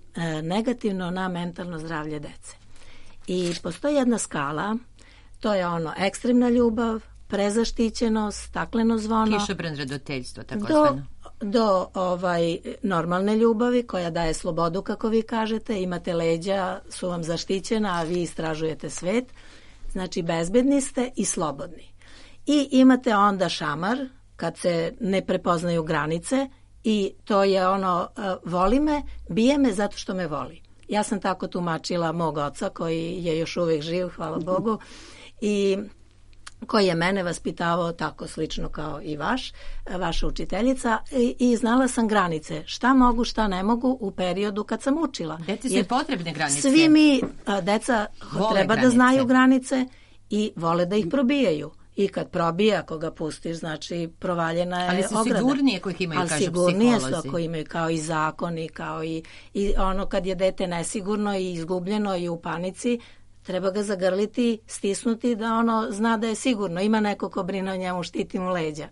negativno na mentalno zdravlje dece. I postoji jedna skala, to je ekstremna ljubav, prezaštićenost, stakleno zvono. Kišobran roditeljstvo, takozvano. Do normalne ljubavi koja daje slobodu, kako vi kažete, imate leđa, su vam zaštićena, a vi istražujete svet. Znači, bezbedni ste i slobodni. I imate onda šamar, kad se ne prepoznaju granice, i to je voli me, bije me zato što me voli. Ja sam tako tumačila mog oca koji je još uvijek živ, hvala Bogu, i koji je mene vaspitavao tako slično kao i vaša učiteljica i znala sam granice. Šta mogu, šta ne mogu u periodu kad sam učila. Deci su potrebne granice. Svi mi, deca, treba da znaju granice i vole da ih probijaju. I kad probije, ako ga pustiš, znači provaljena je ograda. Ali su sigurnije ako ih imaju, kažu psiholozi. Ali sigurnije su ako imaju, kao i zakoni, kao i kad je dete nesigurno i izgubljeno i u panici, treba ga zagrliti, stisnuti da zna da je sigurno. Ima neko ko brine o njemu, štiti mu leđa.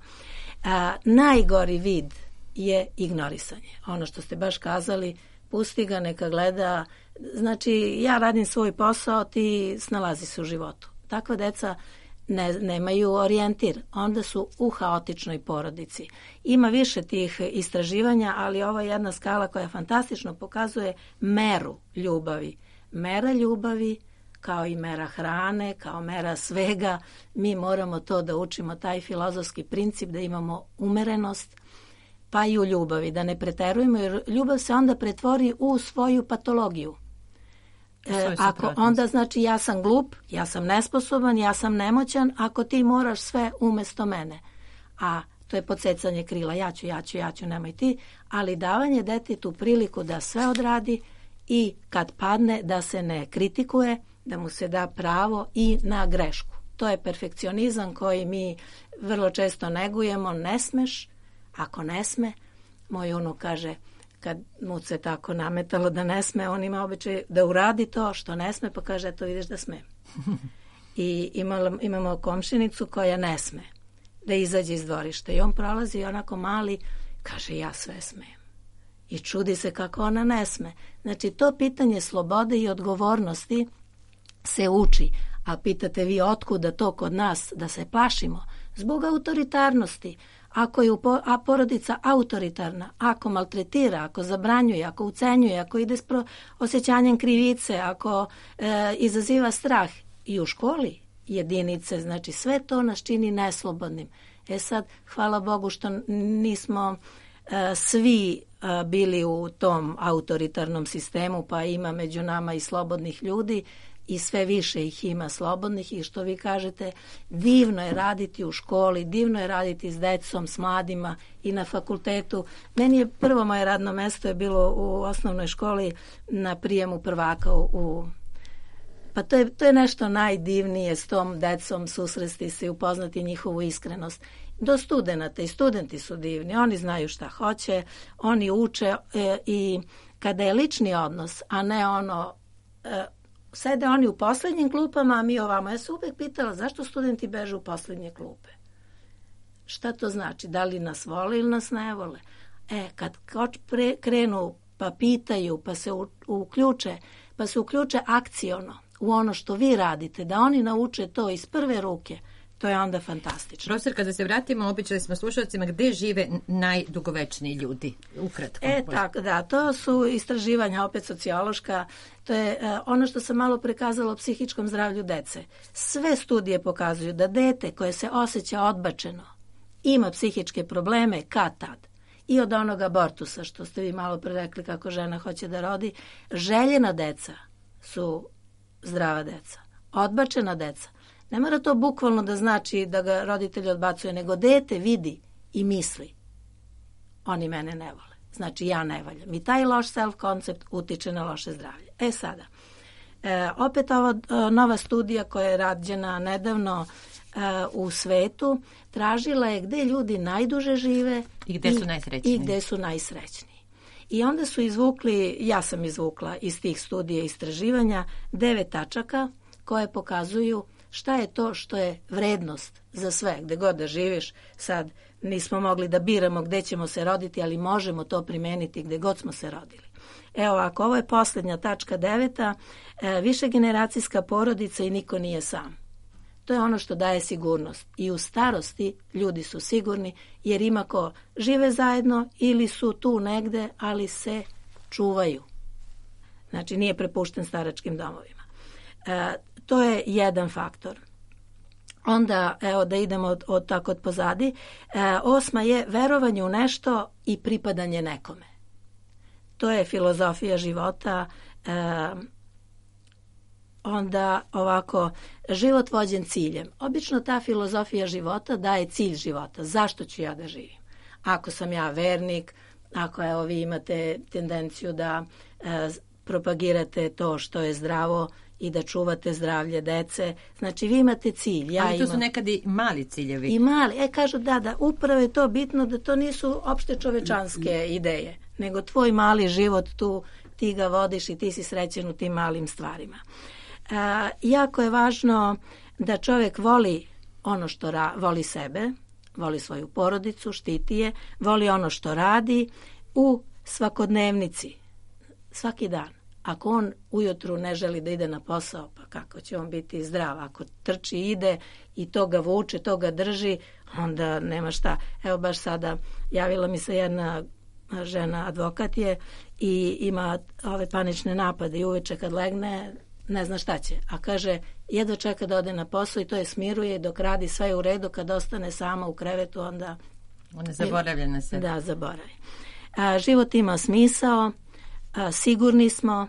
Najgori vid je ignorisanje. Ono što ste baš kazali, pusti ga, neka gleda. Znači, ja radim svoj posao, ti snalazi se u životu. Takva deca nemaju orijentir, onda su u haotičnoj porodici. Ima više tih istraživanja, ali ovo je jedna skala koja fantastično pokazuje meru ljubavi. Mera ljubavi, kao i mera hrane, kao mera svega, mi moramo to da učimo, taj filozofski princip da imamo umerenost, pa i u ljubavi, da ne preterujemo, jer ljubav se onda pretvori u svoju patologiju. Ako onda znači ja sam glup, ja sam nesposoban, ja sam nemoćan, ako ti moraš sve umesto mene. A to je podsecanje krila, ja ću, nemoj ti, ali davanje detetu priliku da sve odradi i kad padne da se ne kritikuje, da mu se da pravo i na grešku. To je perfekcionizam koji mi vrlo često negujemo, ne smeš, ako ne sme, moj unuk kaže, kad mu se tako nametalo da ne sme, on ima običaj da uradi to što ne sme, pa kaže, eto vidiš da smem. I imamo komšinicu koja ne sme da izađe iz dvorišta i on prolazi onako mali, kaže, ja sve smem. I čudi se kako ona ne sme. Znači, to pitanje slobode i odgovornosti se uči, a pitate vi otkuda to kod nas da se plašimo? Zbog autoritarnosti. Ako je porodica autoritarna, ako maltretira, ako zabranjuje, ako ucenjuje, ako ide s osjećanjem krivice, ako izaziva strah i u školi jedinice, znači sve to nas čini neslobodnim. Sad, hvala Bogu što nismo svi bili u tom autoritarnom sistemu, pa ima među nama i slobodnih ljudi. i sve više ih ima slobodnih i što vi kažete, divno je raditi u školi, divno je raditi s decom, s mladima i na fakultetu. Meni je prvo moje radno mesto je bilo u osnovnoj školi na prijemu prvaka pa to je nešto najdivnije s tom decom susresti se i upoznati njihovu iskrenost. Do studenata i studenti su divni, oni znaju šta hoće, oni uče i kada je lični odnos, a ne sede oni u poslednjim klupama, a mi ovamo. Ja se uvek pitala zašto studenti beže u poslednje klupe. Šta to znači? Da li nas vole ili nas ne vole? Kad krenu pa pitaju, pa se uključe akciono u ono što vi radite, da oni nauče to iz prve ruke, to je onda fantastično. Profesor, kada se vratimo, običali smo slušalcima gde žive najdugovečniji ljudi, ukratko. Tako da, to su istraživanja, opet sociološka, to je ono što sam malo prekazala o psihičkom zdravlju dece. Sve studije pokazuju da dete koje se osjeća odbačeno ima psihičke probleme kad tad. I od onog abortusa, što ste vi malo pre rekli kako žena hoće da rodi, željena deca su zdrava deca. Odbačena deca. Ne mora to bukvalno da znači da ga roditelj odbacuje, nego dete vidi i misli. Oni mene ne vole. Znači ja ne valjam. I taj loš self-koncept utiče na loše zdravlje. Sada, opet ova nova studija koja je rađena nedavno u svetu, tražila je gde ljudi najduže žive i gde su najsrećniji. I onda su izvukli, ja sam izvukla iz tih studija i istraživanja 9 tačaka koje pokazuju šta je to što je vrednost za sve, gde god da živiš. Sad nismo mogli da biramo gde ćemo se roditi, ali možemo to primeniti gde god smo se rodili. Evo ovako, ovo je posljednja tačka 9. Višegeneracijska porodica i niko nije sam. To je ono što daje sigurnost. I u starosti ljudi su sigurni jer ima ko žive zajedno ili su tu negde, ali se čuvaju. Znači nije prepušten staračkim domovima. To je jedan faktor. Onda, evo da idemo od pozadi. 8. je verovanje u nešto i pripadanje nekome. To je filozofija života. Onda ovako, život vođen ciljem. Obično ta filozofija života daje cilj života. Zašto ću ja da živim? Ako sam ja vernik, ako evo vi imate tendenciju da propagirate to što je zdravo i da čuvate zdravlje dece, znači vi imate cilj. Ali to su nekad i mali ciljevi. I mali, kažu da, upravo je to bitno da to nisu opšte čovečanske ideje, nego tvoj mali život tu, ti ga vodiš i ti si srećen u tim malim stvarima. Jako je važno da čovjek voli ono što voli sebe, voli svoju porodicu, štiti je, voli ono što radi u svakodnevnici, svaki dan. Ako on ujutru ne želi da ide na posao, pa kako će on biti zdrav? Ako trči, ide i to ga vuče, to ga drži, onda nema šta. Evo baš sada javila mi se jedna žena, advokat je, i ima ove panične napade i uveče kad legne ne zna šta će. A kaže, jedva čeka da ode na posao i to je smiruje dok radi sve u redu, kad ostane sama u krevetu, onda... Ona zaboravlja na sebe. Da, zaboravi. Život ima smisao, sigurni smo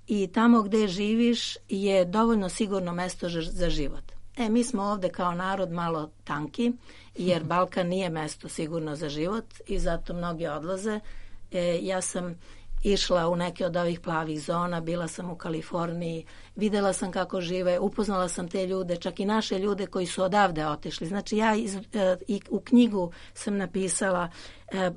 i tamo gde živiš je dovoljno sigurno mesto za život. Mi smo ovde kao narod malo tanki, jer Balkan nije mesto sigurno za život i zato mnogi odlaze. Ja sam išla u neke od ovih plavih zona, bila sam u Kaliforniji, videla sam kako žive, upoznala sam te ljude, čak i naše ljude koji su odavde otišli. Znači ja i u knjigu sam napisala,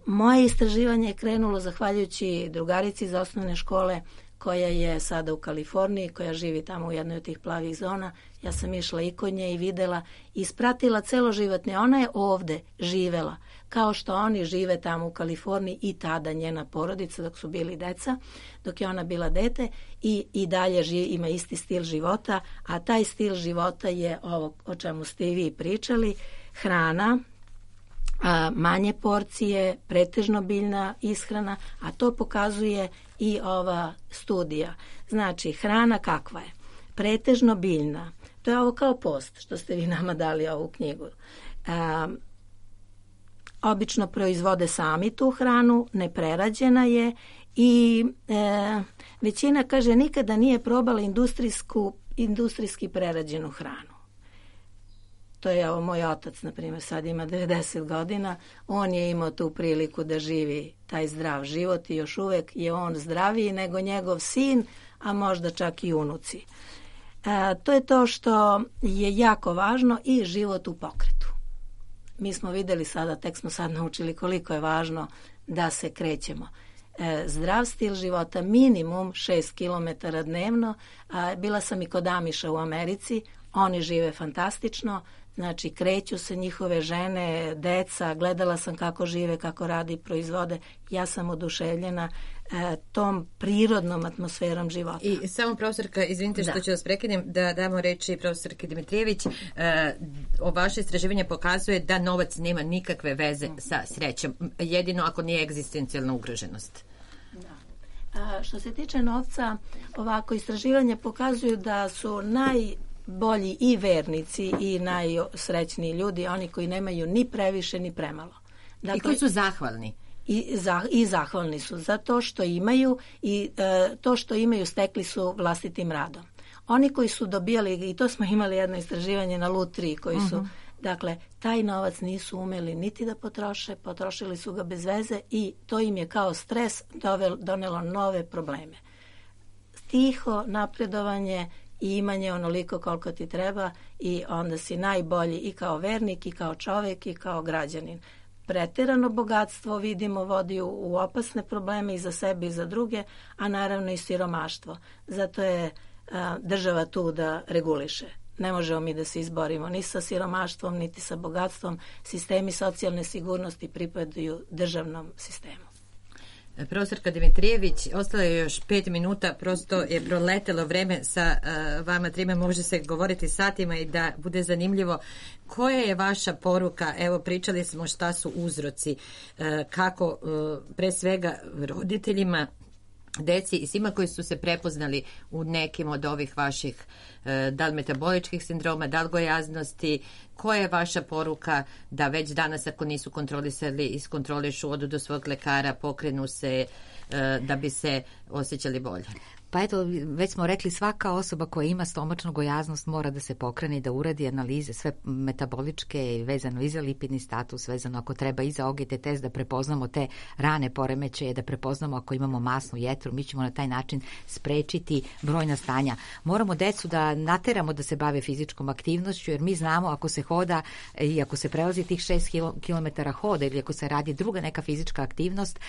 moje istraživanje je krenulo zahvaljujući drugarici iz osnovne škole koja je sada u Kaliforniji, koja živi tamo u jednoj od tih plavih zona. Ja sam išla i kod nje i videla i ispratila celoživotne. Ona je ovde živela kao što oni žive tamo u Kaliforniji i tada njena porodica dok su bili deca, dok je ona bila dete i dalje ima isti stil života, a taj stil života je ovo o čemu ste i vi pričali, hrana, manje porcije, pretežno biljna ishrana, a to pokazuje i ova studija. Znači, hrana kakva je? Pretežno biljna. To je ovo kao post što ste vi nama dali ovu knjigu. Obično proizvode sami tu hranu, neprerađena je I većina kaže nikada nije probala industrijski prerađenu hranu. To je moj otac, na primjer, sad ima 90 godina. On je imao tu priliku da živi taj zdrav život i još uvek je on zdraviji nego njegov sin, a možda čak i unuci. To je to što je jako važno i život u pokretu. Mi smo videli sada, tek smo sad naučili koliko je važno da se krećemo. Zdrav stil života, minimum 6 km dnevno. Bila sam i kod Amiša u Americi, oni žive fantastično, znači kreću se njihove žene, deca, gledala sam kako žive, kako radi i proizvode. Ja sam oduševljena tom prirodnom atmosferom života. I samo profesorka, izvinite što ću vas prekinem, da damo reči profesorki Dimitrijević, o vaše istraživanje pokazuje da novac nema nikakve veze sa srećom, jedino ako nije egzistencijalna ugroženost. Što se tiče novca, ovako istraživanje pokazuju da su najbolji i vernici i najsrećniji ljudi, oni koji nemaju ni previše ni premalo. Dakle, i koji su zahvalni. I zahvalni su za to što imaju i to što imaju stekli su vlastitim radom. Oni koji su dobijali, i to smo imali jedno istraživanje na Lutriji, koji su, dakle, taj novac nisu umeli niti da potroše, potrošili su ga bez veze i to im je kao stres donelo nove probleme. Tiho napredovanje i imanje onoliko koliko ti treba i onda si najbolji i kao vernik i kao čovjek i kao građanin. Preterano bogatstvo, vidimo, vodi u opasne probleme i za sebe i za druge, a naravno i siromaštvo. Zato je država tu da reguliše. Ne možemo mi da se izborimo ni sa siromaštvom, niti sa bogatstvom. Sistemi socijalne sigurnosti pripadaju državnom sistemu. Profesorka Dimitrijević, ostalo je još 5 minuta, prosto je proletelo vreme sa vama trima, može se govoriti satima i da bude zanimljivo. Koja je vaša poruka? Evo, pričali smo šta su uzroci, kako pre svega roditeljima, deci i svima koji su se prepoznali u nekim od ovih vaših da li metaboličkih sindroma, da li gojaznosti, koja je vaša poruka da već danas ako nisu kontrolisali, iskontrolišu, odu do svog lekara, pokrenu se da bi se osjećali bolje? Pa eto, već smo rekli, svaka osoba koja ima stomačnu gojaznost mora da se pokrene i da uradi analize, sve metaboličke, vezano i za lipidni status, vezano ako treba i za OGT test, da prepoznamo te rane poremećaje, da prepoznamo ako imamo masnu jetru, mi ćemo na taj način sprečiti brojna stanja. Moramo decu da nateramo da se bave fizičkom aktivnošću, jer mi znamo ako se hoda i ako se prelazi tih 6 km hoda ili ako se radi druga neka fizička aktivnost,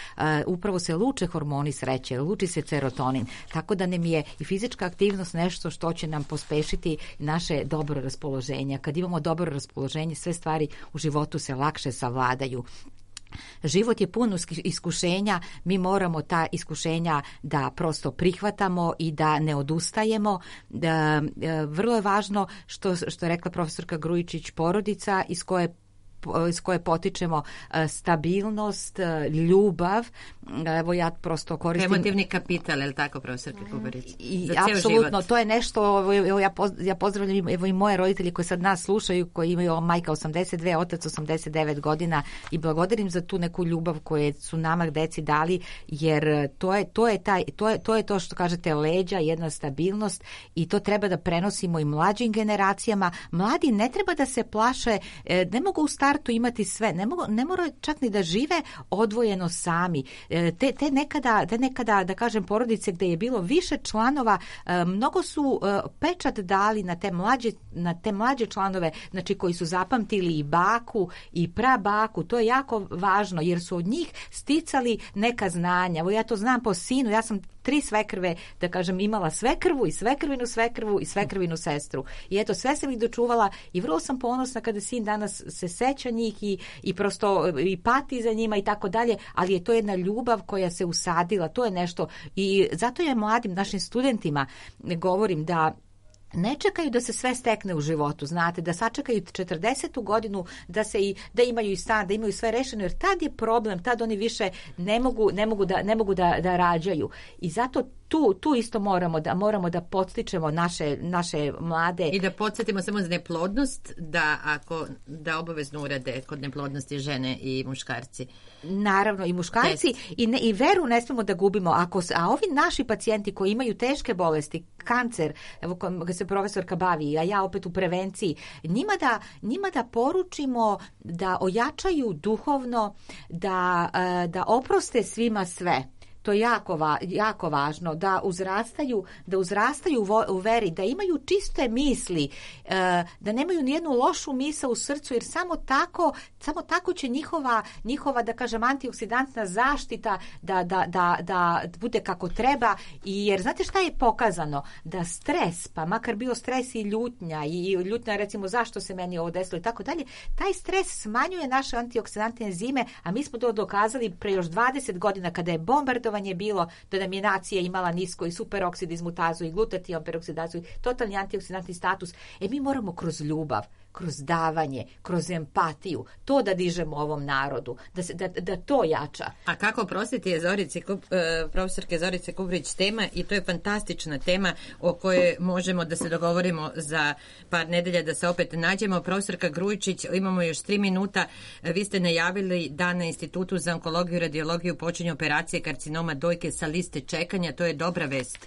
upravo se luče hormoni sreće, luči se serotonin, tako da nam je i fizička aktivnost nešto što će nam pospešiti naše dobro raspoloženje. Kad imamo dobro raspoloženje, sve stvari u životu se lakše savladaju. Život je pun iskušenja, mi moramo ta iskušenja da prosto prihvatamo i da ne odustajemo. Vrlo je važno što je rekla profesorka Grujičić, porodica iz koje potičemo stabilnost, ljubav. Evo ja prosto koristim... Emotivni kapital, je li tako, profesorka Kubarić? Apsolutno, to je nešto, ja pozdravljam evo i moje roditelji koji sad nas slušaju, koji imaju majka 82, otac 89 godina i благодарim za tu neku ljubav koje su nama deci dali, jer to je to što kažete leđa, jedna stabilnost i to treba da prenosimo i mlađim generacijama. Mladi ne treba da se plaše, ne mogu u startu imati sve, ne moraju čak ni da žive odvojeno sami. Te nekada, da kažem, porodice gde je bilo više članova, mnogo su pečat dali na te mlađe članove, znači koji su zapamtili i baku i prabaku, to je jako važno jer su od njih sticali neka znanja. Evo ja to znam po sinu, ja sam 3 svekrve, da kažem, imala svekrvu i svekrvinu svekrvu i svekrvinu sestru. I eto, sve sam ih dočuvala i vrlo sam ponosna kada sin danas se seća njih i prosto i pati za njima i tako dalje, ali je to jedna ljubav koja se usadila, to je nešto i zato je mladim našim studentima govorim da ne čekaju da se sve stekne u životu, znate, da sačekaju 40. godinu, da imaju i stan, da imaju sve rešeno, jer tad je problem, tad oni više ne mogu da rađaju. I zato tu isto moramo da podstičemo naše mlade. I da podsjetimo samo za neplodnost, da obavezno urade kod neplodnosti žene i muškarci. Naravno, i muškarci i veru ne smemo da gubimo. A ovi naši pacijenti koji imaju teške bolesti, kancer, evo kad se profesorka bavi, a ja opet u prevenciji, njima da poručimo da ojačaju duhovno, da oproste svima sve. To je jako važno, da uzrastaju u veri, da imaju čiste misli, da nemaju nijednu lošu misao u srcu, jer samo tako će njihova da kažem, antioksidantna zaštita da bude kako treba. Jer znate šta je pokazano? Da stres, pa makar bio stres i ljutnja recimo zašto se meni ovo desilo i tako dalje, taj stres smanjuje naše antioksidantne enzime, a mi smo to dokazali pre još 20 godina kada je bombardovanje bilo da nam je nacija imala nisko i superoksid izmutazu i glutatijon peroksidaciju, totalni antioksidantni status. Mi moramo kroz ljubav, kroz davanje, kroz empatiju, to da dižemo ovom narodu, da to jača. A kako oprostiti je profesorke Zorice Kubrić tema, i to je fantastična tema o kojoj možemo da se dogovorimo za par nedelja da se opet nađemo. Profesorka Grujičić, imamo još 3 minuta. Vi ste najavili da na Institutu za onkologiju i radiologiju počinje operacije karcinoma dojke sa liste čekanja. To je dobra vest.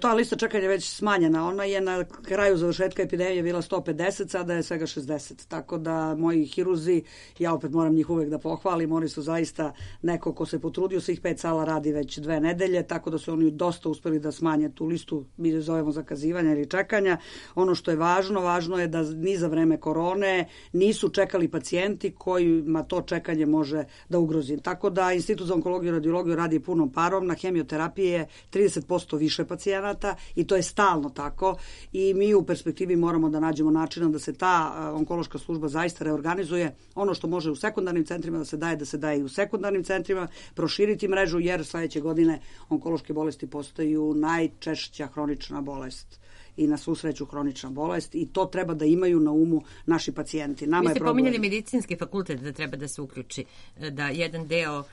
Ta lista čekanja je već smanjena. Ona je na kraju završetka epidemije bila 150, sada je svega 60. Tako da moji hiruzi, ja opet moram njih uvek da pohvalim, oni su zaista neko ko se potrudio, svih 5 sala radi već 2 nedelje, tako da su oni dosta uspeli da smanje tu listu, mi je zovemo zakazivanja ili čekanja. Ono što je važno je da ni za vreme korone nisu čekali pacijenti kojima to čekanje može da ugrozi. Tako da Institut za onkologiju i radiologiju radi punom parom, na hemioterapiji je 30% više pacijenata i to je stalno tako i mi u perspektivi moramo da nađemo načina da se ta onkološka služba zaista reorganizuje. Ono što može u sekundarnim centrima da se daje i u sekundarnim centrima, proširiti mrežu, jer sledeće godine onkološke bolesti postaju najčešća hronična bolest i na svu sreću hronična bolest, i to treba da imaju na umu naši pacijenti. Vi ste pominjali medicinski fakultet da treba da se uključi, da jedan deo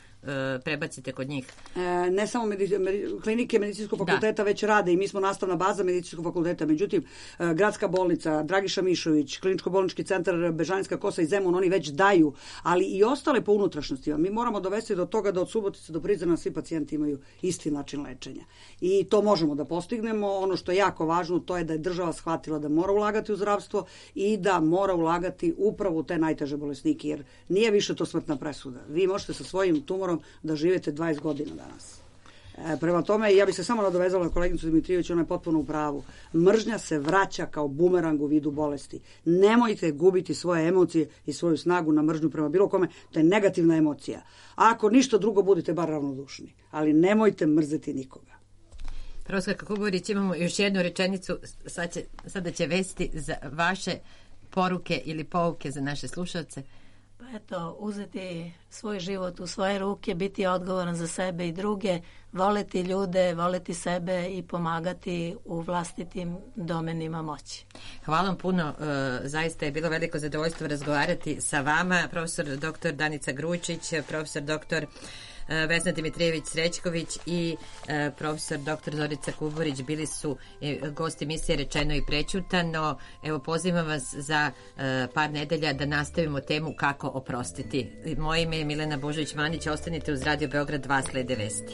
prebacite kod njih. Ne samo klinike medicinskog fakulteta već rade i mi smo nastavna baza medicinskog fakulteta. Međutim, Gradska bolnica, Dragiša Mišović, Kliničko-bolnički centar Bežanijska Kosa i Zemun, oni već daju, ali i ostale po unutrašnjostima. Mi moramo dovesti do toga da od Subotice do Prizrena svi pacijenti imaju isti način lečenja. I to možemo da postignemo. Ono što je jako važno, to je da je država shvatila da mora ulagati u zdravstvo i da mora ulagati upravo u te najteže bolesnike, jer nije više to smrtna presuda. Vi možete sa svojim tumorom da živite 20 godina danas. Prema tome, ja bih se samo nadovezala na koleginicu Dimitrijević, ona je potpuno u pravu. Mržnja se vraća kao bumerang u vidu bolesti. Nemojte gubiti svoje emocije i svoju snagu na mržnju prema bilo kome, to je negativna emocija. A ako ništa drugo, budite bar ravnodušni, ali nemojte mrzeti nikoga. Profesorka Kubrić, imamo još jednu rečenicu, sada će vesti za vaše poruke ili pouke za naše slušalce. Eto, uzeti svoj život u svoje ruke, biti odgovoran za sebe i druge, voleti ljude, voleti sebe i pomagati u vlastitim domenima moći. Hvala vam puno, zaista je bilo veliko zadovoljstvo razgovarati sa vama, profesor dr. Danica Grujičić, profesor dr. Vesna Dimitrijević-Srećković i profesor dr. Zorica Kuburić bili su gosti emisije Rečeno i prećutano. Evo, pozivam vas za par nedelja da nastavimo temu kako oprostiti. Moje ime je Milena Božović-Manić, ostanite uz Radio Beograd 2, slede vesti.